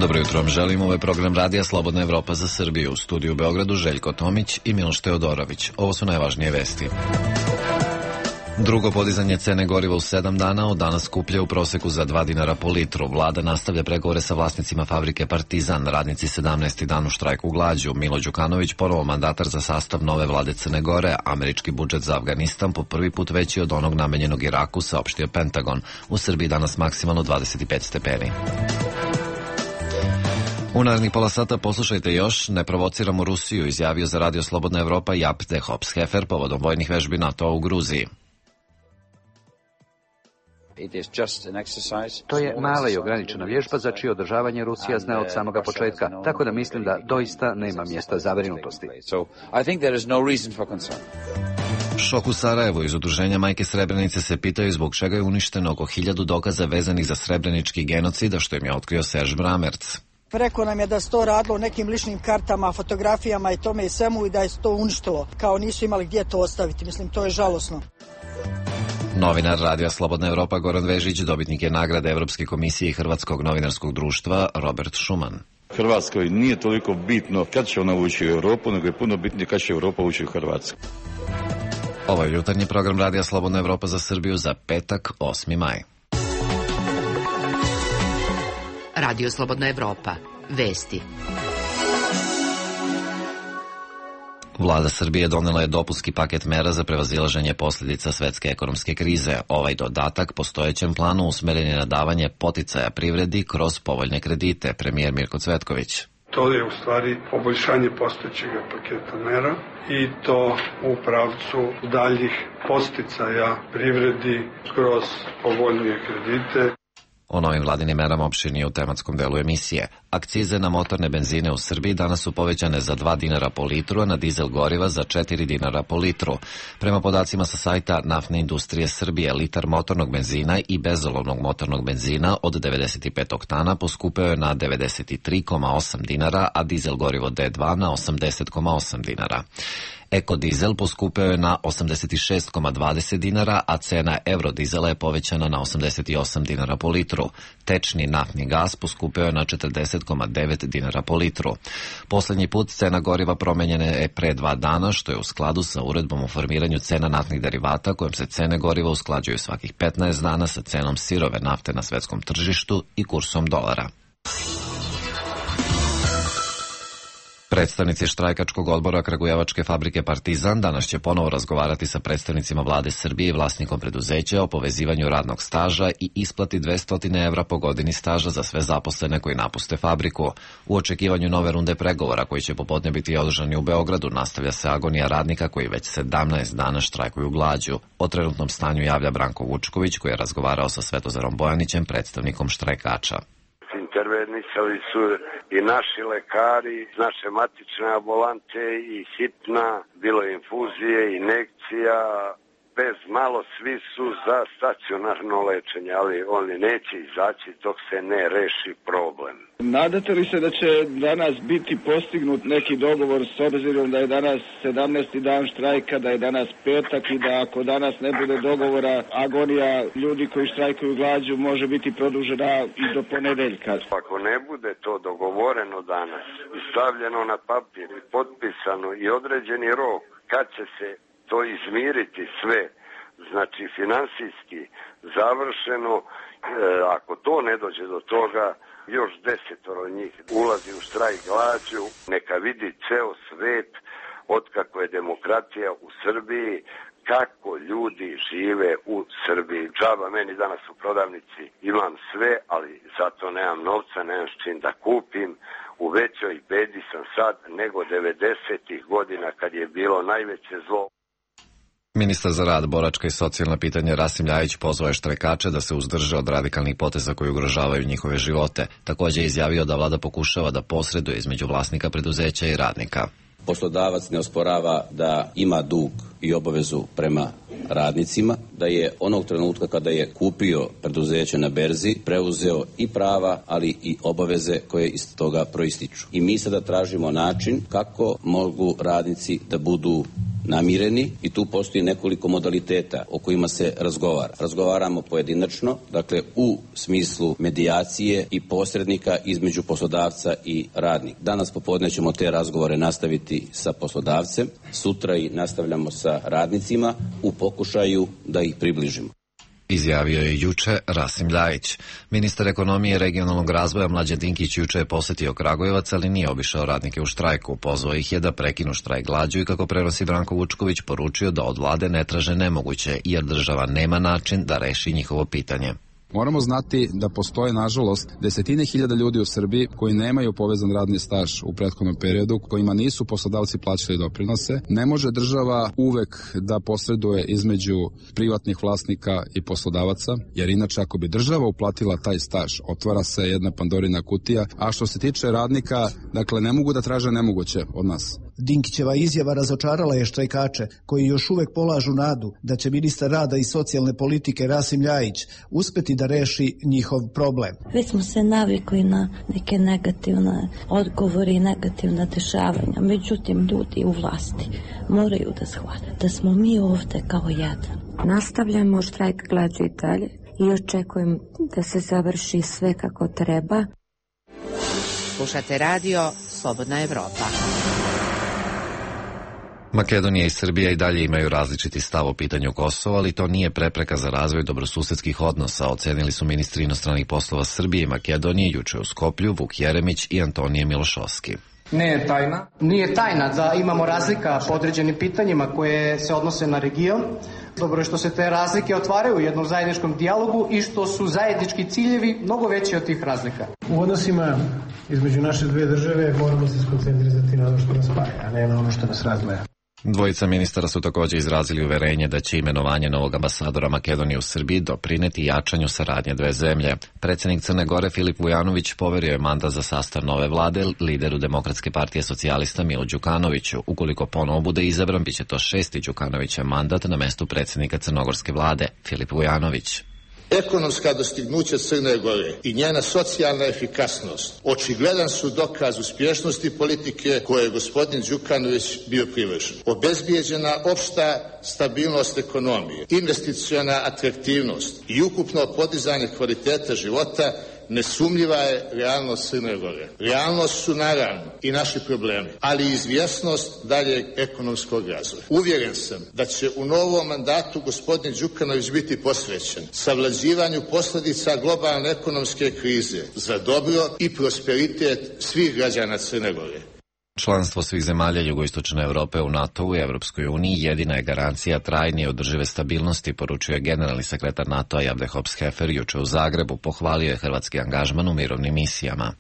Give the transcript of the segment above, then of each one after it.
Dobro jutro vam želim, ovo je program Radija Slobodna Evropa za Srbiju. U studiju u Beogradu Željko Tomić i Miloš Teodorović. Ovo su najvažnije vesti. Drugo podizanje cene goriva u 7 dana, od danas skuplje u proseku za 2 dinara po litru. Vlada nastavlja pregovore sa vlasnicima fabrike Partizan, radnici 17. dan u štrajku glađu. Milo Đukanović, ponovo mandatar za sastav nove vlade Crne Gore. Američki budžet za Afganistan po prvi put veći od onog namenjenog Iraku, saopštio Pentagon. U Srbiji danas maksimalno 25 stepeni. U narednih pola sata poslušajte još, ne provociramo Rusiju, izjavio za Radio Slobodna Evropa Jaap de Hoop-Scheffer povodom vojnih vežbi NATO u Gruziji. To je mala i ograničena vježba za čije održavanje Rusija zna od samoga početka, tako da mislim da doista nema mjesta zabrinutosti. Šok u Sarajevu. Iz udruženja Majke Srebrenice se pitaju zbog čega je uništeno oko 1000 dokaza vezanih za srebrenički genocid, a što im je otkrio Serž Bramerc. Rekao nam je da se to radilo o nekim ličnim kartama, fotografijama i tome i svemu i da je to uništilo, kao nisu imali gdje to ostaviti. Mislim, to je žalosno. Novinar Radija Slobodna Evropa Goran Vežić dobitnik je nagrade Evropske komisije i Hrvatskog novinarskog društva Robert Schuman. Hrvatskoj nije toliko bitno kad će ona ući u Europu, nego je puno bitnije kad će Europa ući u Hrvatsku. Ovo je jutarnji program Radija Slobodna Evropa za Srbiju za petak, 8. maj. Radio Slobodna Evropa. Vesti. Vlada Srbije donela je dopunski paket mera za prevazilaženje posljedica svetske ekonomske krize. Ovaj dodatak postojećem planu usmeren je na davanje poticaja privredi kroz povoljne kredite, premijer Mirko Cvetković. To je u stvari poboljšanje postojećeg paketa mera i to u pravcu daljih podsticaja privredi kroz povoljnije kredite. O novim vladinim merama opširnije u tematskom delu emisije. Akcize na motorne benzine u Srbiji danas su povećane za 2 dinara po litru, a na dizel goriva za 4 dinara po litru. Prema podacima sa sajta Naftne industrije Srbije, litar motornog benzina i bezolovnog motornog benzina od 95 oktana poskupeo je na 93,8 dinara, a dizel gorivo D2 na 80,8 dinara. Ekodizel poskupeo je na 86,20 dinara, a cena eurodizela je povećana na 88 dinara po litru. Tečni naftni gas poskupeo je na 40,9 dinara po litru. Poslednji put cena goriva promenjena je pre 2 dana, što je u skladu sa uredbom o formiranju cena naftnih derivata, kojom se cene goriva usklađuju svakih 15 dana sa cenom sirove nafte na svetskom tržištu i kursom dolara. Predstavnici štrajkačkog odbora Kragujevačke fabrike Partizan danas će ponovo razgovarati sa predstavnicima vlade Srbije i vlasnikom preduzeća o povezivanju radnog staža i isplati 200 evra po godini staža za sve zaposlene koji napuste fabriku. U očekivanju nove runde pregovora koji će popodne biti održani u Beogradu nastavlja se agonija radnika koji već 17 dana štrajkuju glađu. O trenutnom stanju javlja Branko Vučković koji je razgovarao sa Svetozarom Bojanićem, predstavnikom štrajkača. Intervenisali su i naši lekari, naše matične ambulante i hitna, bilo je infuzije, injekcija, bez malo svi su za stacionarno lečenje, ali oni neće izaći dok se ne reši problem. Nadate li se da će danas biti postignut neki dogovor s obzirom da je danas 17. dan štrajka, da je danas petak i da ako danas ne bude dogovora, agonija ljudi koji štrajkuju glađu može biti produžena i do ponedeljka? Ako ne bude to dogovoreno danas i stavljeno na papir i potpisano i određeni rok kad će se to izmiriti sve, znači finansijski završeno, ako to ne dođe do toga, još 10 njih ulazi u štrajk glađu, neka vidi ceo svet otkako je demokratija u Srbiji, kako ljudi žive u Srbiji. Džaba meni danas u prodavnici, imam sve, ali zato nemam novca, nemam s čim da kupim. U većoj bedi sam sad nego 90-ih godina kad je bilo najveće zlo. Ministar za rad, boračka i socijalna pitanja Rasim Ljajić pozvao je štrajkače da se uzdrže od radikalnih poteza koji ugrožavaju njihove živote. Također je izjavio da vlada pokušava da posreduje između vlasnika preduzeća i radnika. Poslodavac ne osporava da ima dug i obavezu prema radnicima, da je onog trenutka kada je kupio preduzeće na berzi preuzeo i prava, ali i obaveze koje iz toga proističu. I mi sada tražimo način kako mogu radnici da budu namireni i tu postoji nekoliko modaliteta o kojima se razgovara. Razgovaramo pojedinačno, dakle u smislu medijacije i posrednika između poslodavca i radnika. Danas popodne ćemo te razgovore nastaviti sa poslodavcem, sutra i nastavljamo sa radnicima u pokušaju da ih približimo. Izjavio je juče Rasim Ljajić. Ministar ekonomije i regionalnog razvoja Mlađan Dinkić juče je posetio Kragujevac, ali nije obišao radnike u štrajku. Pozvao ih je da prekinu štrajk glađu i, kako prenosi Branko Vučković, poručio da od vlade ne traže nemoguće, jer država nema način da reši njihovo pitanje. Moramo znati da postoje, nažalost, desetine hiljada ljudi u Srbiji koji nemaju povezan radni staž u prethodnom periodu, kojima nisu poslodavci plaćali doprinose. Ne može država uvek da posreduje između privatnih vlasnika i poslodavaca, jer inače ako bi država uplatila taj staž, otvara se jedna Pandorina kutija, a što se tiče radnika, dakle, ne mogu da traže nemoguće od nas. Dinkićeva izjava razočarala je štrajkače, koji još uvek polažu nadu da će ministar rada i socijalne politike Rasim Ljajić uspeti da reši njihov problem. Već smo se navikli na neke negativne odgovore i negativna dešavanja, međutim ljudi u vlasti moraju da shvate da smo mi ovde kao jedan. Nastavljamo štrajk glađu i dalje i očekujem da se završi sve kako treba. Slušate radio Slobodna Evropa. Makedonija i Srbija i dalje imaju različiti stav o pitanju Kosova, ali to nije prepreka za razvoj dobrosusedskih odnosa, ocenili su ministri inostranih poslova Srbije i Makedonije juče u Skoplju Vuk Jeremić i Antonije Milošovski. Nije tajna da imamo razlika po određenim pitanjima koje se odnose na region. Dobro je što se te razlike otvaraju u jednom zajedničkom dijalogu i što su zajednički ciljevi mnogo veći od tih razlika. U odnosima između naše dve države moramo se skoncentrirati na ono što nas spaja, a ne na ono što nas razdvaja. Dvojica ministara su također izrazili uverenje da će imenovanje novog ambasadora Makedonije u Srbiji doprineti jačanju saradnje dve zemlje. Predsjednik Crne Gore Filip Vujanović poverio je mandat za sastav nove vlade lideru Demokratske partije socijalista Milu Đukanoviću. Ukoliko ponovo bude izabran, bit će to 6. Đukanovićev mandat na mestu predsjednika crnogorske vlade. Filip Vujanović. Ekonomska dostignuća Crne Gore i njena socijalna efikasnost očigledan su dokaz uspješnosti politike koje je gospodin Đukanović bio privržen. Obezbijeđena opšta stabilnost ekonomije, investiciona atraktivnost i ukupno podizanje kvaliteta života nesumljiva je realnost Crne Gore. Realnost su naravno i naši problemi, ali i izvjesnost daljeg ekonomskog razvoja. Uvjeren sam da će u novom mandatu gospodin Đukanović biti posvećen savlađivanju posljedica globalne ekonomske krize za dobro i prosperitet svih građana Crne Gore. Članstvo svih zemalja jugoistočne Evrope u NATO-u i Evropskoj uniji jedina je garancija trajne i održive stabilnosti, poručuje generalni sekretar NATO-a Javde Hops-Hefer juče u Zagrebu. Pohvalio je hrvatski angažman u mirovnim misijama.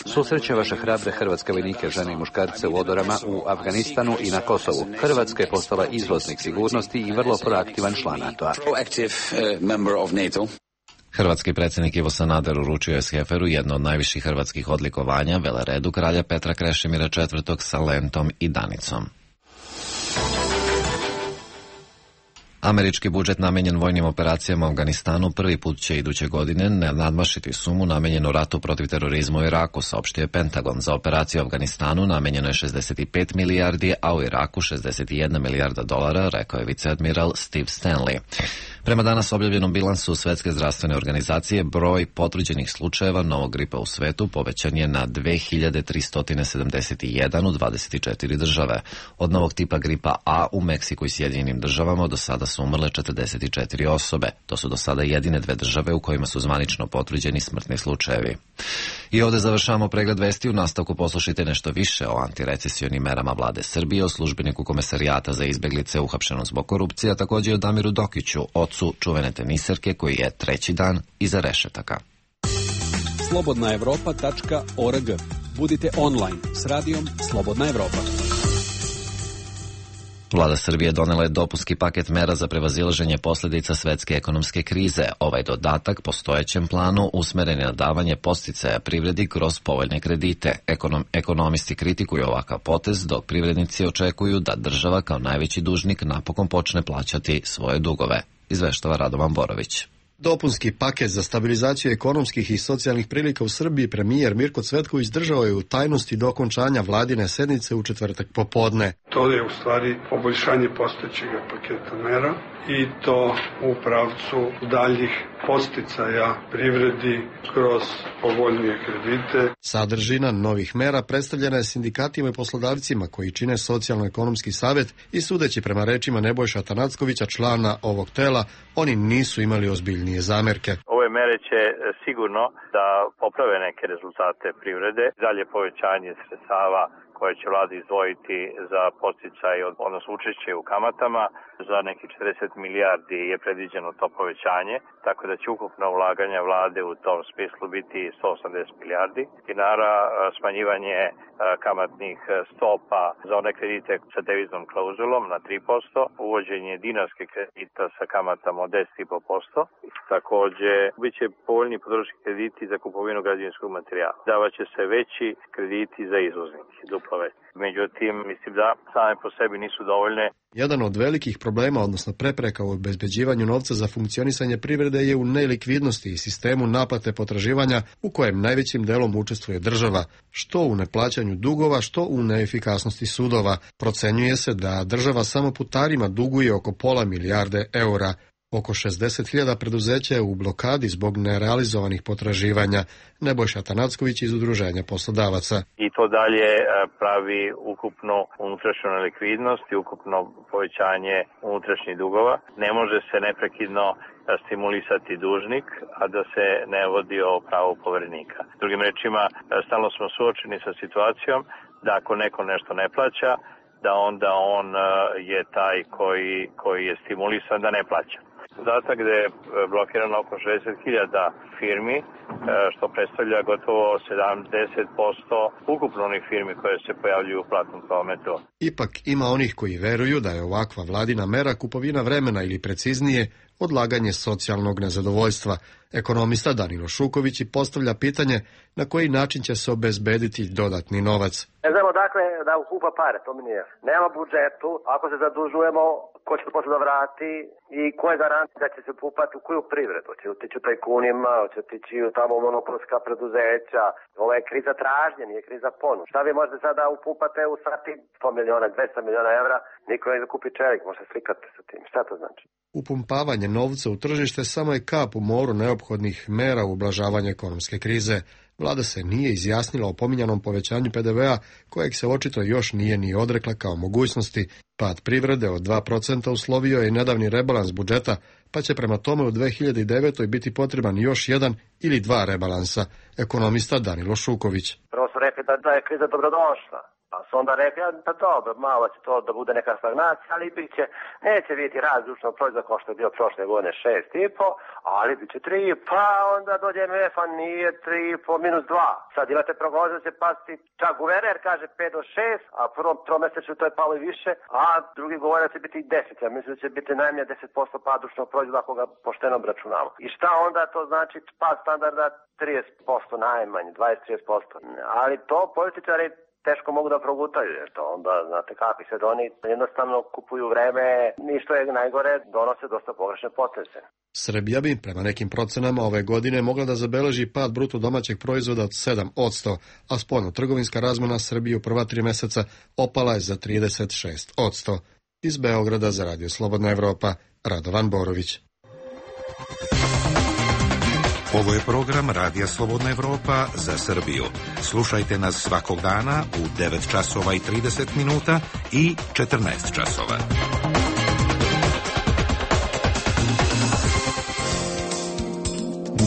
Susreće vaše hrabre hrvatske vojnike, žene i muškarce u odorama u Afganistanu i na Kosovu. Hrvatska je postala izvoznik sigurnosti i vrlo proaktivan član NATO-a. Hrvatski predsjednik Ivo Sanader uručio je Heferu jedno od najviših hrvatskih odlikovanja, veleredu kralja Petra Krešimira IV. Sa lentom i danicom. Američki budžet namenjen vojnim operacijama u Afganistanu prvi put će iduće godine nadmašiti sumu namenjenu ratu protiv terorizma u Iraku, saopštio je Pentagon. Za operaciju u Afganistanu namenjeno je 65 milijardi, a u Iraku 61 milijarda dolara, rekao je viceadmiral Steve Stanley. Prema danas objavljenom bilansu Svetske zdravstvene organizacije, broj potvrđenih slučajeva novog gripa u svetu povećan je na 2371 u 24 države. Od novog tipa gripa A u Meksiku i Sjedinjenim državama do sada su umrle 44 osobe. To su do sada jedine dve države u kojima su zvanično potvrđeni smrtni slučajevi. I ovdje završavamo pregled vesti. U nastavku poslušajte nešto više o antirecesionim merama vlade Srbije, o službeniku Komesarijata za izbjeglice uhapšenom zbog korupcije, a također i o Damiru Dokiću, ocu čuvene teniserke koji je treći dan iza rešetaka. slobodnaevropa.org. Budite online s radijom Slobodna Evropa. Vlada Srbije donela je dopunski paket mera za prevazilaženje posljedica svetske ekonomske krize. Ovaj dodatak postojećem planu usmeren je na davanje podsticaja privredi kroz povoljne kredite. Ekonomisti kritikuju ovakav potez, dok privrednici očekuju da država kao najveći dužnik napokon počne plaćati svoje dugove. Izveštava Radovan Borović. Dopunski paket za stabilizaciju ekonomskih i socijalnih prilika u Srbiji premijer Mirko Cvetković držao je u tajnosti do okončanja vladine sednice u četvrtak popodne. To je u stvari poboljšanje postojećeg paketa mera i to u pravcu daljih podsticaja privredi kroz povoljnije kredite. Sadržina novih mera predstavljena je sindikatima i poslodavcima koji čine Socijalno-ekonomski savjet i sudeći prema rečima Nebojša Tanackovića, člana ovog tela, oni nisu imali ozbiljnije zamerke. Ove mere će sigurno da poprave neke rezultate privrede, dalje povećanje sredstava koje će vlada izdvojiti za podsticaj, odnosno učešće u kamatama. Za nekih 40 milijardi je predviđeno to povećanje, tako da će ukupna ulaganja vlade u tom smislu biti 180 milijardi dinara, smanjivanje kamatnih stopa za one kredite sa deviznom klauzulom na 3%, uvođenje dinarske kredita sa kamatama od 10,5%. Takođe, bit će povoljni potrošački krediti za kupovinu građevinskog materijala. Davaće se veći krediti za izvoznike, duplo veći. Međutim, mislim da same po sebi nisu dovoljne. Jedan od velikih problema, odnosno prepreka u obezbeđivanju novca za funkcionisanje privrede je u nelikvidnosti i sistemu naplate potraživanja u kojem najvećim delom učestvuje država, što u neplaćanju dugova, što u neefikasnosti sudova. Procenjuje se da država samo putarima duguje oko pola milijarde eura. Oko 60.000 preduzeća je u blokadi zbog nerealizovanih potraživanja. Nebojša Tanacković iz Udruženja poslodavaca. I to dalje pravi ukupnu unutrašnju nelikvidnost i ukupno povećanje unutrašnjih dugova. Ne može se neprekidno stimulisati dužnik, a da se ne vodi o pravu poverenika. Drugim rečima, stalno smo suočeni sa situacijom da ako neko nešto ne plaća, da onda on je taj koji je stimulisan da ne plaća. Podatak da je blokirano oko 60.000 firmi, što predstavlja gotovo 70% ukupno onih firmi koje se pojavljuju u platnom prometu. Ipak ima onih koji veruju da je ovakva vladina mera kupovina vremena ili preciznije odlaganje socijalnog nezadovoljstva. Ekonomista Danilo Šuković postavlja pitanje na koji način će se obezbediti dodatni novac. Ne znamo dakle da ukupa pare, to mi nije. Nema budžetu, ako se zadužujemo, ko će to posle da vrati i ko je garant da će se upupati u koju privredu? Će otići u tajkunima, će otići u tamo monopolska preduzeća. Ovo je kriza tražnje, nije kriza ponude. Šta vi možete sada upupate u sati 100 miliona, 200 miliona evra, niko ne da kupi čelik, možete slikati sa tim. Šta to znači? Upumpavanje novca u tržište samo je kap u moru neophodnih mera u ublažavanju ekonomske krize. Vlada se nije izjasnila o pominjanom povećanju PDV-a, kojeg se očito još nije ni odrekla kao mogućnosti. Pad privrede od 2% uslovio je nedavni rebalans budžeta, pa će prema tome u 2009. biti potreban još jedan ili dva rebalansa. Ekonomista Danilo Šuković. Prvo su rekli da je kriza dobrodošla. Pa su onda rekli, da dobro, malo će to da bude neka stagnacija, ali neće biti rast društvenog proizvoda kao što je bio prošle godine 6,5, ali bit će 3, pa onda dođe MF-a, nije 3,5, minus 2. Sad imate prognoze da će pasti, čak guverner kaže 5 do 6, a prvom tromesečju to je palo i više, a drugi govore da će biti 10. Ja mislim da će biti najmanje 10% pad društvenog proizvoda ako ga pošteno obračunamo. I šta onda to znači pad standarda 30% najmanje, 20-30%. Ali to političari teško mogu da progutaju, jer to onda, znate kakvi se oni jednostavno kupuju vreme, ništa je najgore, donose dosta pogrešne poteze. Srbija bi, prema nekim procenama, ove godine mogla da zabeleži pad bruto domaćeg proizvoda od 7%, a spoljno-trgovinska razmena Srbije u prva 3 meseca opala je za 36%. Iz Beograda za Radio Slobodna Evropa, Radovan Borović. Ovo je program Radija Slobodna Evropa za Srbiju. Slušajte nas svakog dana u 9 časova i 30 minuta i 14 časova.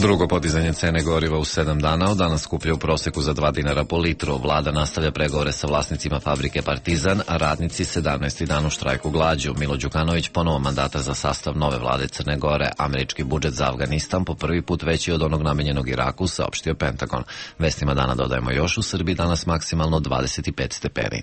Drugo podizanje cene goriva u 7 dana, od danas skuplja u proseku za 2 dinara po litru. Vlada nastavlja pregovore sa vlasnicima fabrike Partizan, a radnici 17. dan u štrajku glađu. Milo Đukanović ponovo mandata za sastav nove vlade Crne Gore. Američki budžet za Afganistan po prvi put veći od onog namenjenog Iraku, saopštio Pentagon. Vestima dana dodajemo još, u Srbiji danas maksimalno 25 stepeni.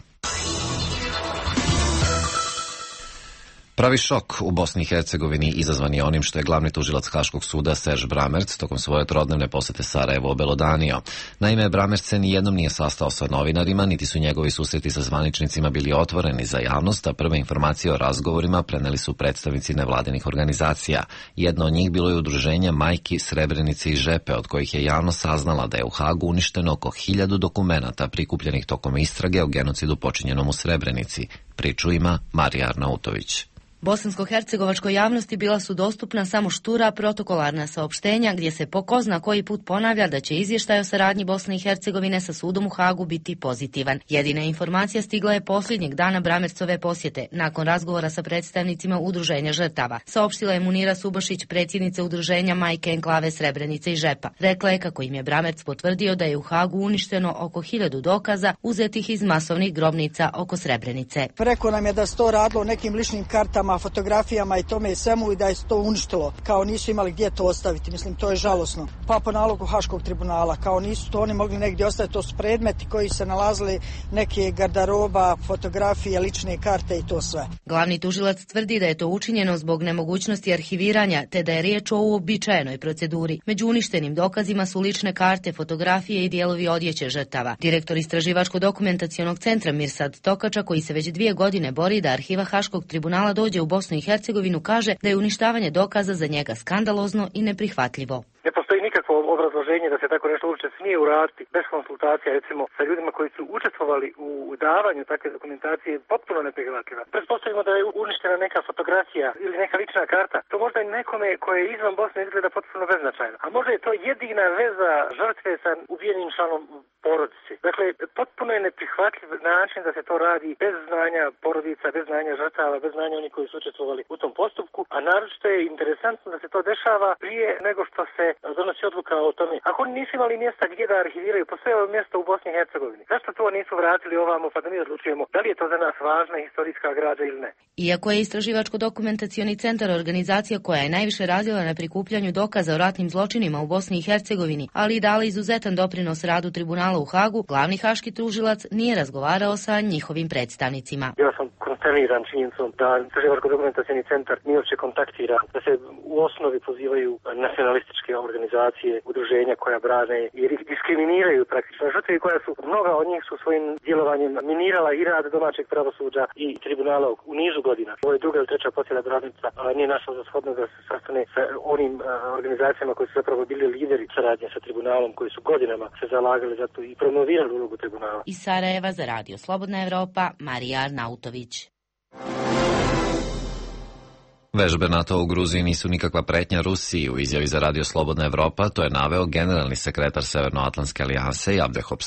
Pravi šok u Bosni i Hercegovini izazvan je onim što je glavni tužilac Haškog suda Serž Bramerc tokom svoje trodnevne posete Sarajevo obelodanio. Naime, Bramerc se nijednom nije sastao sa novinarima, niti su njegovi susreti sa zvaničnicima bili otvoreni za javnost, a prve informacije o razgovorima preneli su predstavnici nevladinih organizacija. Jedno od njih bilo je udruženje Majki Srebrenice i Žepe, od kojih je javno saznala da je u Hagu uništeno oko 1000 dokumenata prikupljenih tokom istrage o genocidu počinjenom u Srebrenici. Priču ima Marija Arnautović. Bosansko-hercegovačkoj javnosti bila su dostupna samo štura protokolarna saopštenja gdje se po ko zna koji put ponavlja da će izvještaj o saradnji Bosne i Hercegovine sa sudom u Hagu biti pozitivan. Jedina informacija stigla je posljednjeg dana Bramercove posjete, nakon razgovora sa predstavnicima udruženja žrtava. Saopštila je Munira Subašić, predsjednica udruženja Majke Enklave Srebrenice i Žepa. Rekla je kako im je Bramerc potvrdio da je u Hagu uništeno oko 1000 dokaza uzetih iz masovnih grobnica oko Srebrenice. Rekao nam je da se to radilo nekim ličnim kartama, fotografijama i tome i svemu i da je to uništilo, kao nisu imali gdje to ostaviti. Mislim, to je žalosno. Pa po nalogu Haškog tribunala, kao nisu to oni mogli negdje ostaviti, to su predmeti koji se nalazili, neke garderoba, fotografije, lične karte i to sve. Glavni tužilac tvrdi da je to učinjeno zbog nemogućnosti arhiviranja, te da je riječ o uobičajenoj proceduri. Među uništenim dokazima su lične karte, fotografije i dijelovi odjeće žrtava. Direktor Istraživačko-dokumentacionog centra Mirsad Tokača, koji se već 2 godine bori da arhiva Haškog tribunala dođe u Bosnu i Hercegovinu, kaže da je uništavanje dokaza za njega skandalozno i neprihvatljivo. Ne postoji nikakvo obrazloženje da se tako nešto uopće smije uraditi bez konsultacija, recimo sa ljudima koji su učestvovali u davanju takve dokumentacije, potpuno neprihvatljiva. Pretpostavimo da je uništena neka fotografija ili neka lična karta. To možda i nekome koje je izvan Bosne izgleda potpuno beznačajno. A možda je to jedina veza žrtve sa ubijenim članom porodice. Dakle, potpuno je neprihvatljiv način da se to radi bez znanja porodica, bez znanja žrtava, bez znanja onih koji su učestvovali u tom postupku, a naročito je interesantno da se to dešava prije nego što se donosi odluka o tome. Ako oni nisu imali mjesta gdje da arhiviraju, postoje mjesta u Bosni i Hercegovini. Zašto to nisu vratili ovamo pa da mi odlučujemo da li je to za nas važna historijska građa ili ne? Iako je Istraživačko-dokumentacioni centar organizacija koja je najviše radila na prikupljanju dokaza o ratnim zločinima u Bosni i Hercegovini, ali i dala izuzetan doprinos radu tribunala u Hagu, glavni haški tužilac nije razgovarao sa njihovim predstavnicima. Ja sam konsterniran činjenicom da Istraživačko-dokumentacioni centar nije uopće kontaktira, da se u osnovi pozivaju nacionalističke organizacije, udruženja koja brane i diskriminiraju praktično žrtve koja su, mnoga od njih su svojim djelovanjem minirala i rad domaćeg pravosuđa i tribunala u nizu godina. Ovo je druga ili treća posjeda Bramerca, nije našla za shodno da se sastane sa onim organizacijama koji su zapravo bili lideri saradnje sa tribunalom, koji su godinama se zalagali za to i promovirali ulogu tribunala. Iz Sarajeva za Radio Slobodna Evropa, Marija Arnautović. Vežbe NATO u Gruziji nisu nikakva pretnja Rusiji. U izjavi za Radio Slobodna Evropa to je naveo generalni sekretar Severnoatlantske alijanse Abdehop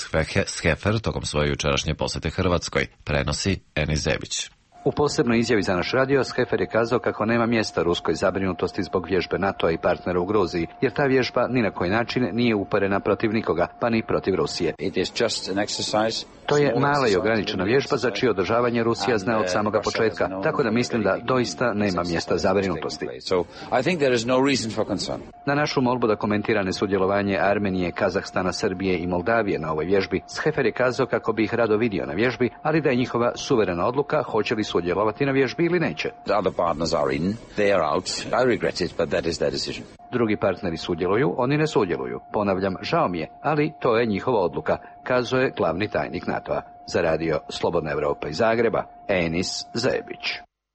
Schefer tokom svoje jučerašnje posete Hrvatskoj, prenosi Enis Zebić. U posebnoj izjavi za naš radio, Schefer je kazao kako nema mjesta ruskoj zabrinutosti zbog vježbe NATO-a i partnera u Gruziji, jer ta vježba ni na koji način nije uperena protiv nikoga, pa ni protiv Rusije. To je mala i ograničena vježba za čije održavanje Rusija zna od samoga početka, tako da mislim da doista nema mjesta zabrinutosti. Na našu molbu da komentira nesudjelovanje Armenije, Kazahstana, Srbije i Moldavije na ovoj vježbi, Schefer je kazao kako bi ih rado vidio na vježbi, ali da je njihova suverena odluka hoće li sudjelovati na vježbi ili neće. Drugi partneri sudjeluju, oni ne sudjeluju. Ponavljam, žao mi je, ali to je njihova odluka, kazao je glavni tajnik NATO-a. Za Radio Slobodna Evropa iz Zagreba, Enis Zebić.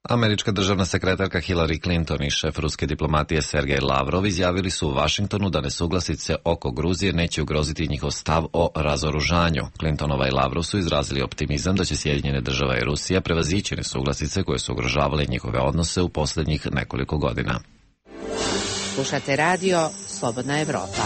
Američka državna sekretarka Hillary Clinton i šef ruske diplomatije Sergej Lavrov izjavili su u Vašingtonu da nesuglasice oko Gruzije neće ugroziti njihov stav o razoružanju. Clintonova i Lavrov su izrazili optimizam da će Sjedinjene države i Rusija prevazići nesuglasice koje su ugrožavale njihove odnose u posljednjih nekoliko godina. Slušate Radio Slobodna Evropa.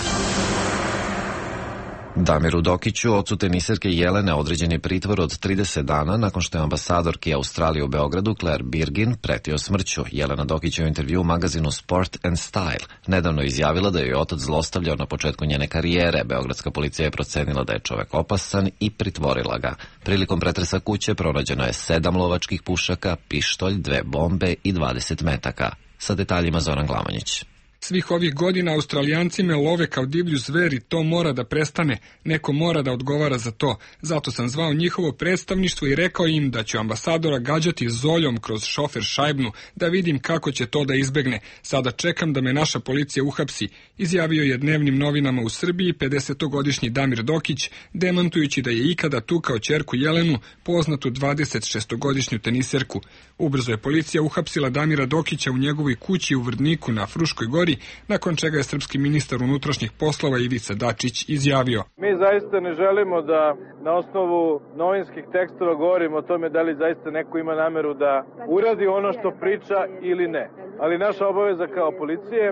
Damiru Dokiću, ocu teniserke Jelene, određen je pritvor od 30 dana nakon što je ambasadorki Australije u Beogradu Claire Birgin pretio smrću. Jelena Dokić je u intervju u magazinu Sport and Style nedavno izjavila da je otac zlostavljao na početku njene karijere. Beogradska policija je procenila da je čovek opasan i pritvorila ga. Prilikom pretresa kuće pronađeno je 7 lovačkih pušaka, pištolj, 2 bombe i 20 metaka. Sa detaljima Zoran Glamonjić. Svih ovih godina Australijanci me love kao divlju zver i to mora da prestane. Neko mora da odgovara za to. Zato sam zvao njihovo predstavništvo i rekao im da ću ambasadora gađati zoljom kroz šofer šajbnu, da vidim kako će to da izbegne. Sada čekam da me naša policija uhapsi, izjavio je dnevnim novinama u Srbiji 50-godišnji Damir Dokić, demantujući da je ikada tukao ćerku Jelenu, poznatu 26-godišnju teniserku. Ubrzo je policija uhapsila Damira Dokića u njegovoj kući u Vrdniku na Fruškoj gori, nakon čega je srpski ministar unutrašnjih poslova Ivica Dačić izjavio: Mi zaista ne želimo da na osnovu novinskih tekstova govorimo o tome da li zaista neko ima nameru da uradi ono što priča ili ne. Ali naša obaveza kao policije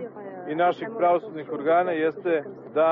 i naših pravosudnih organa jeste da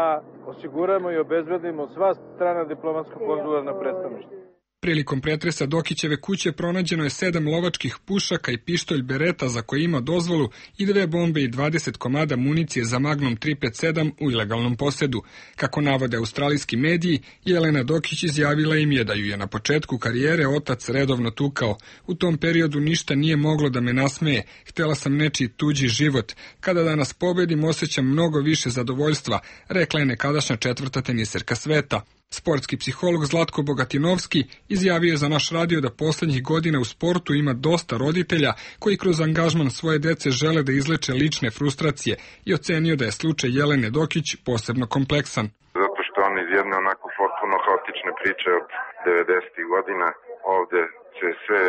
osiguramo i obezbedimo sva strana diplomatsko-konzularna predstavništva. Prilikom pretresa Dokićeve kuće pronađeno je 7 lovačkih pušaka i pištolj Bereta za koje ima dozvolu i 2 bombe i 20 komada municije za Magnum 357 u ilegalnom posedu. Kako navode australijski mediji, Jelena Dokić izjavila im je da ju je na početku karijere otac redovno tukao. U tom periodu ništa nije moglo da me nasmeje. Htela sam nečiji tuđi život. Kada danas pobedim, osjećam mnogo više zadovoljstva, rekla je nekadašnja 4. teniserka sveta. Sportski psiholog Zlatko Bogatinovski izjavio je za naš radio da poslednjih godina u sportu ima dosta roditelja koji kroz angažman svoje dece žele da izleče lične frustracije i ocenio da je slučaj Jelene Dokić posebno kompleksan. Zato što on iz jedne onako potpuno haotične priče od 90. godina ovde se sve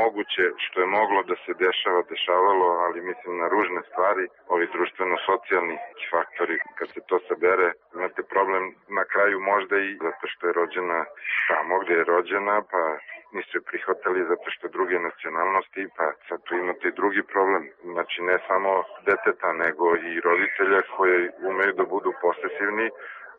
moguće što je moglo da se dešavalo, ali mislim na ružne stvari, ovi društveno-socijalni faktori, kad se to sabere, imate problem na kraju možda i zato što je rođena tamo gde je rođena, pa nisu je prihvatali zato što druge nacionalnosti, pa sad tu imate i drugi problem. Znači ne samo deteta, nego i roditelja koji umeju da budu posesivni,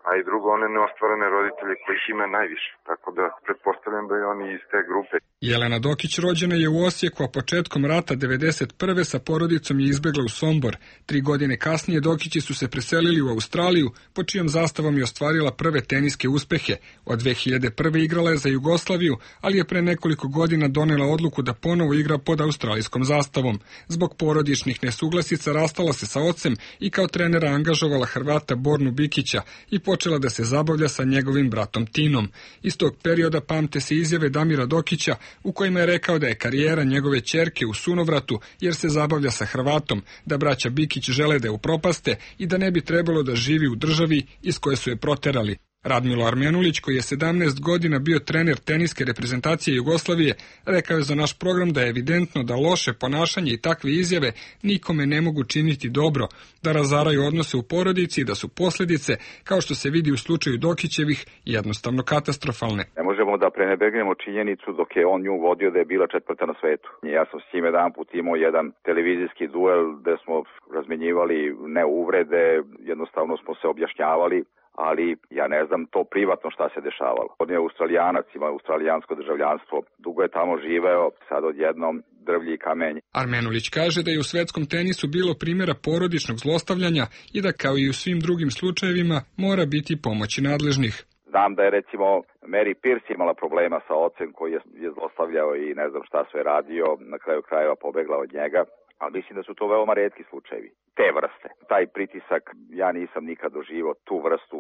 a i drugo, one neostvarene roditelje kojih ima najviše. Tako da pretpostavljam da je oni iz te grupe. Jelena Dokić rođena je u Osijeku, a početkom rata 1991. sa porodicom je izbegla u Sombor. 3 godine kasnije Dokići su se preselili u Australiju, po čijom zastavom je ostvarila prve teniske uspehe. Od 2001. igrala je za Jugoslaviju, ali je pre nekoliko godina donela odluku da ponovo igra pod australijskom zastavom. Zbog porodičnih nesuglasica rastala se sa ocem i kao trenera angažovala Hrvata Bornu Bikića i počela da se zabavlja sa njegovim bratom Tinom. Iz tog perioda pamte se izjave Damira Dokića u kojima je rekao da je karijera njegove ćerke u sunovratu jer se zabavlja sa Hrvatom, da braća Bikić žele da je upropaste i da ne bi trebalo da živi u državi iz koje su je proterali. Radmilo Armenulić, koji je 17 godina bio trener teniske reprezentacije Jugoslavije, rekao je za naš program da je evidentno da loše ponašanje i takve izjave nikome ne mogu činiti dobro, da razaraju odnose u porodici i da su posljedice, kao što se vidi u slučaju Dokićevih, jednostavno katastrofalne. Ne možemo da prenebegnemo činjenicu dok je on nju vodio da je bila 4. na svetu. Ja sam s njim jedan put imao jedan televizijski duel gde smo razmenjivali ne uvrede, jednostavno smo se objašnjavali, ali ja ne znam to privatno šta se dešavalo. On je Australijanac, ima australijansko državljanstvo, dugo je tamo živeo, sad odjednom drvlji i kamenje. Armenulić kaže da je u svetskom tenisu bilo primjera porodičnog zlostavljanja i da kao i u svim drugim slučajevima mora biti pomoći nadležnih. Znam da je recimo Mary Pierce imala problema sa ocem koji je zlostavljao i ne znam šta sve radio, na kraju krajeva pobegla od njega. Ali mislim da su to veoma retki slučajevi, te vrste. Taj pritisak, ja nisam nikad doživao tu vrstu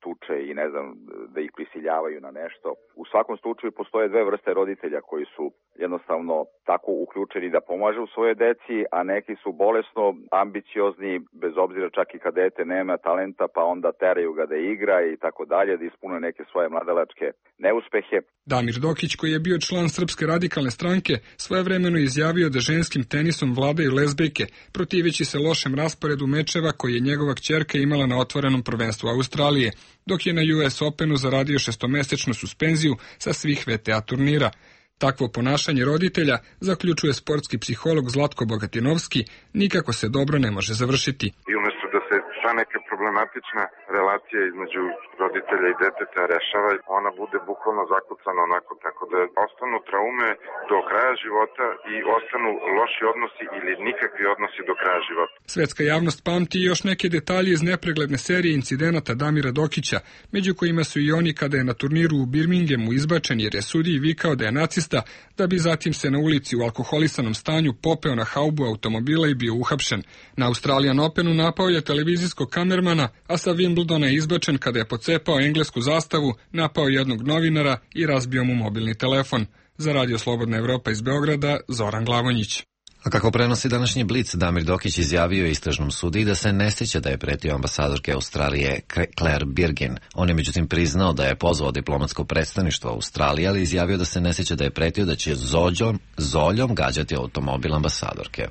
tuče i ne znam, da ih prisiljavaju na nešto. U svakom slučaju postoje 2 vrste roditelja koji su jednostavno tako uključeni da pomažu svoje deci, a neki su bolesno ambiciozni, bez obzira čak i kad dete nema talenta, pa onda teraju ga da igra i tako dalje, da ispune neke svoje mladalačke neuspehe. Damir Dokić, koji je bio član Srpske radikalne stranke, svojevremeno izjavio da ženskim tenisom vladaju lezbejke, protiveći se lošem rasporedu mečeva koji je njegova kćerka imala na otvorenom prvenstvu Australije, dok je na US Openu zaradio 6-mesečnu suspenziju sa svih VTA turnira. Takvo ponašanje roditelja, zaključuje sportski psiholog Zlatko Bogatinovski, nikako se dobro ne može završiti. I umjesto da se ta neka problematična relacija između roditelja i deteta rešava, ona bude bukvalno zakucana onako, tako da ostanu traume do kraja života i ostanu loši odnosi ili nikakvi odnosi do kraja života. Svetska javnost pamti još neke detalje iz nepregledne serije incidenata Damira Dokića, među kojima su i oni kada je na turniru u Birminghamu izbačen jer je sudiji vikao da je nacista, da bi zatim se na ulici u alkoholisanom stanju popeo na haubu automobila i bio uhapšen. Na Australian Openu napao je televizijskog kamermana, a sa Wimbledona je izbačen kada je pocepao englesku zastavu, napao jednog novinara i razbio mu mobilni telefon. Za Radio Slobodna Evropa iz Beograda, Zoran Glavonjić. A kako prenosi današnji Blic, Damir Dokić izjavio istražnom sudiji da se ne sjeća da je pretio ambasadorke Australije Claire Birgin. On je međutim priznao da je pozvao diplomatsko predstavništvo Australije, ali izjavio da se ne sjeća da je pretio da će zoljom gađati automobil ambasadorke.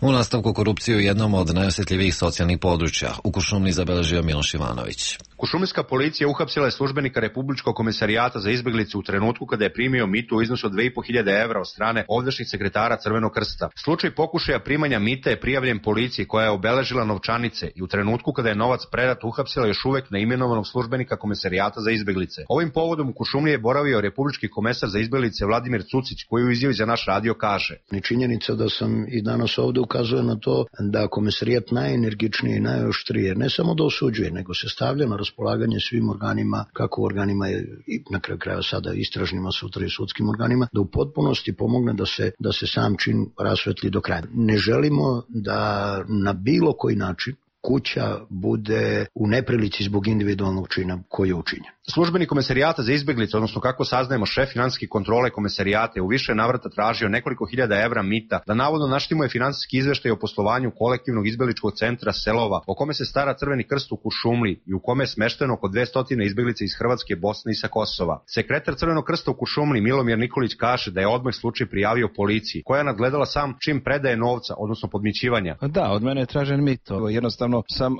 U nastavku korupcije u jednom od najosjetljivijih socijalnih područja u Kuršumliji zabeležio Miloš Ivanović. Kuršumlijska policija uhapsila je službenika Republičkog komesarijata za izbjeglice u trenutku kada je primio mitu u iznosu od 2.500 evra od strane ovdašnjih sekretara Crvenog krsta. Slučaj pokušaja primanja mita je prijavljen policiji koja je obeležila novčanice i u trenutku kada je novac predat uhapsila još uvek neimenovanog službenika komesarijata za izbjeglice. Ovim povodom u Kuršumliji je boravio republički komesar za izbjeglice Vladimir Cucić, koji u izjavi za naš radio kaže: Činjenica da sam i danas ovde ukazuje na to da komesarijat najenergičnije i najoštrije ne samo da osuđuje, nego se stavlja na raspolaganje svim organima, kako u organima i na kraju krajeva sada istražnima, sutra i sudskim organima, da u potpunosti pomogne da se sam čin rasvetli do kraja. Ne želimo da na bilo koji način kuća bude u neprilici zbog individualnog čina koji je učinjen. Službenik komesarijata za izbjeglice, odnosno kako saznajemo šef finansijske kontrole komesarijata, je u više navrata tražio nekoliko hiljada evra mita da navodno naštimuje finansijski izveštaj o poslovanju kolektivnog izbjegličkog centra Selova, o kome se stara Crveni krst u Kuršumliji i u kome je smešteno oko 200 izbjeglica iz Hrvatske, Bosne i sa Kosova. Sekretar Crvenog krsta u Kuršumliji Milomir Nikolić kaže da je odmah slučaj prijavio policiji, koja je nadgledala sam čim predaje novca, odnosno podmićivanja. Da, od mene je tražen mito. Jednostavno sam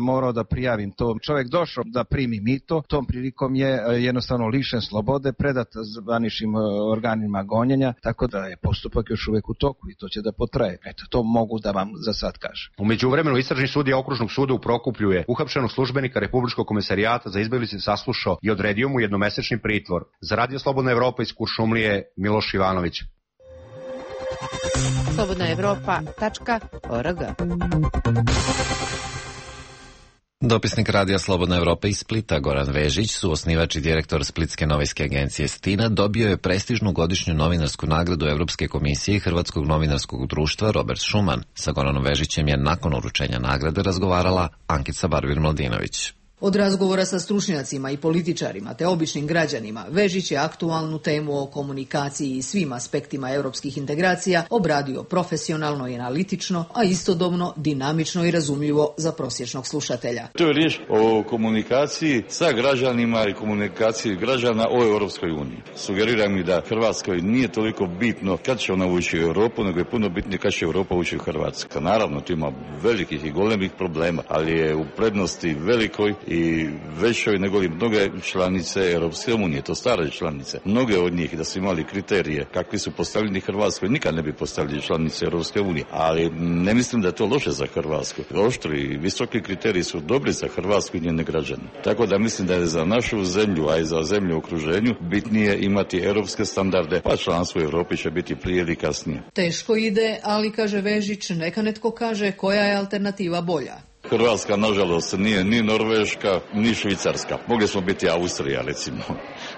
morao da prijavim to. Čovjek došao da primi mito, tom prilikom je jednostavno lišen slobode, predat zvaničnim organima gonjenja, tako da je postupak još uvek u toku i to će da potraje. Eto, to mogu da vam za sad kažem. U međuvremenu istražni sudija Okružnog suda u Prokuplju je uhapšenog službenika Republičkog komesarijata za izbjeglice saslušao i odredio mu jednomesečni pritvor. Za Radio Slobodna Evropa iz Kuršumlije, Miloš Ivanović. slobodnaevropa.org. Dopisnik Radija Slobodna Evropa iz Splita, Goran Vežić, suosnivač i direktor Splitske novinske agencije Stina, dobio je prestižnu godišnju novinarsku nagradu Evropske komisije i Hrvatskog novinarskog društva Robert Schuman. Sa Goranom Vežićem je nakon uručenja nagrade razgovarala Ankica Barbir-Mladinović. Od razgovora sa stručnjacima i političarima te običnim građanima, Vežić je aktualnu temu o komunikaciji i svim aspektima europskih integracija obradio profesionalno i analitično, a istodobno dinamično i razumljivo za prosječnog slušatelja. To je riječ o komunikaciji sa građanima i komunikaciji građana o Europskoj uniji. Sugeriram mi da Hrvatskoj nije toliko bitno kad će ona ući u Europu, nego je puno bitnije kad će Europa ući u Hrvatsku. Naravno, tu ima velikih i golemih problema, ali je u prednosti velikoj i većoj nego li mnoge članice Europske unije, to stare članice. Mnoge od njih da su imali kriterije kakvi su postavljeni Hrvatskoj, nikad ne bi postavili članice Europske unije, ali ne mislim da je to loše za Hrvatsku. Oštri i visoki kriteriji su dobri za Hrvatsku i njene građane. Tako da mislim da je za našu zemlju, a i za zemlju u okruženju, bitnije imati europske standarde, pa članstvo u Europi će biti prije ili kasnije. Teško ide, ali kaže Vežić, neka netko kaže koja je alternativa bolja. Hrvatska, nažalost, nije ni Norveška, ni Švicarska. Mogli smo biti Austrija, recimo.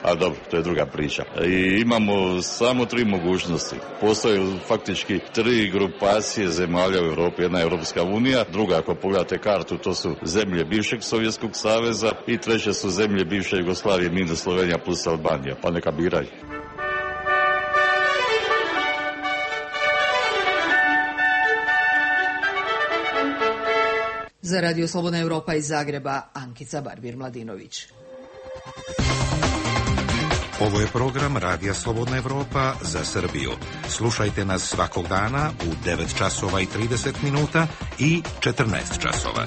A dobro, to je druga priča. I imamo samo 3 mogućnosti. Postoje faktički 3 grupacije zemalja u Europi. Jedna je Europska unija, druga, ako pogledate kartu, to su zemlje bivšeg Sovjetskog saveza i treće su zemlje bivše Jugoslavije, minus Slovenija plus Albanija. Pa neka biraju. Za Radio Slobodna Evropa iz Zagreba, Ankica Barbir-Mladinović. Ovo je program Radija Slobodna Evropa za Srbiju. Slušajte nas svakog dana u 9 časova i 30 minuta i 14 časova.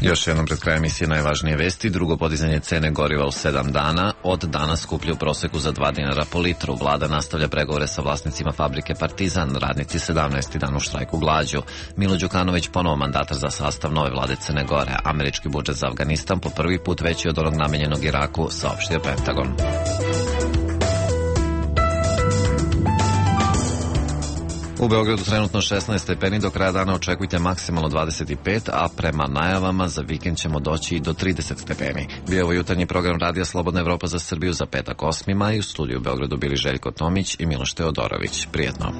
Još jednom pred krajem emisije najvažnije vesti. Drugo podizanje cene goriva u 7 dana. Od danas skuplju u proseku za 2 dinara po litru. Vlada nastavlja pregovore sa vlasnicima fabrike Partizan. Radnici 17. dan u štrajku glađu. Milo Đukanović ponovo mandatar za sastav nove vlade Crne Gore. Američki budžet za Afganistan po prvi put veći od onog namenjenog Iraku, saopštio Pentagon. U Beogradu trenutno 16 stepeni, do kraja dana očekujte maksimalno 25, a prema najavama za vikend ćemo doći i do 30 stepeni. Bio ovo jutarnji program Radija Slobodna Evropa za Srbiju za petak 8. maj. U studiju u Beogradu bili Željko Tomić i Miloš Teodorović. Prijetno.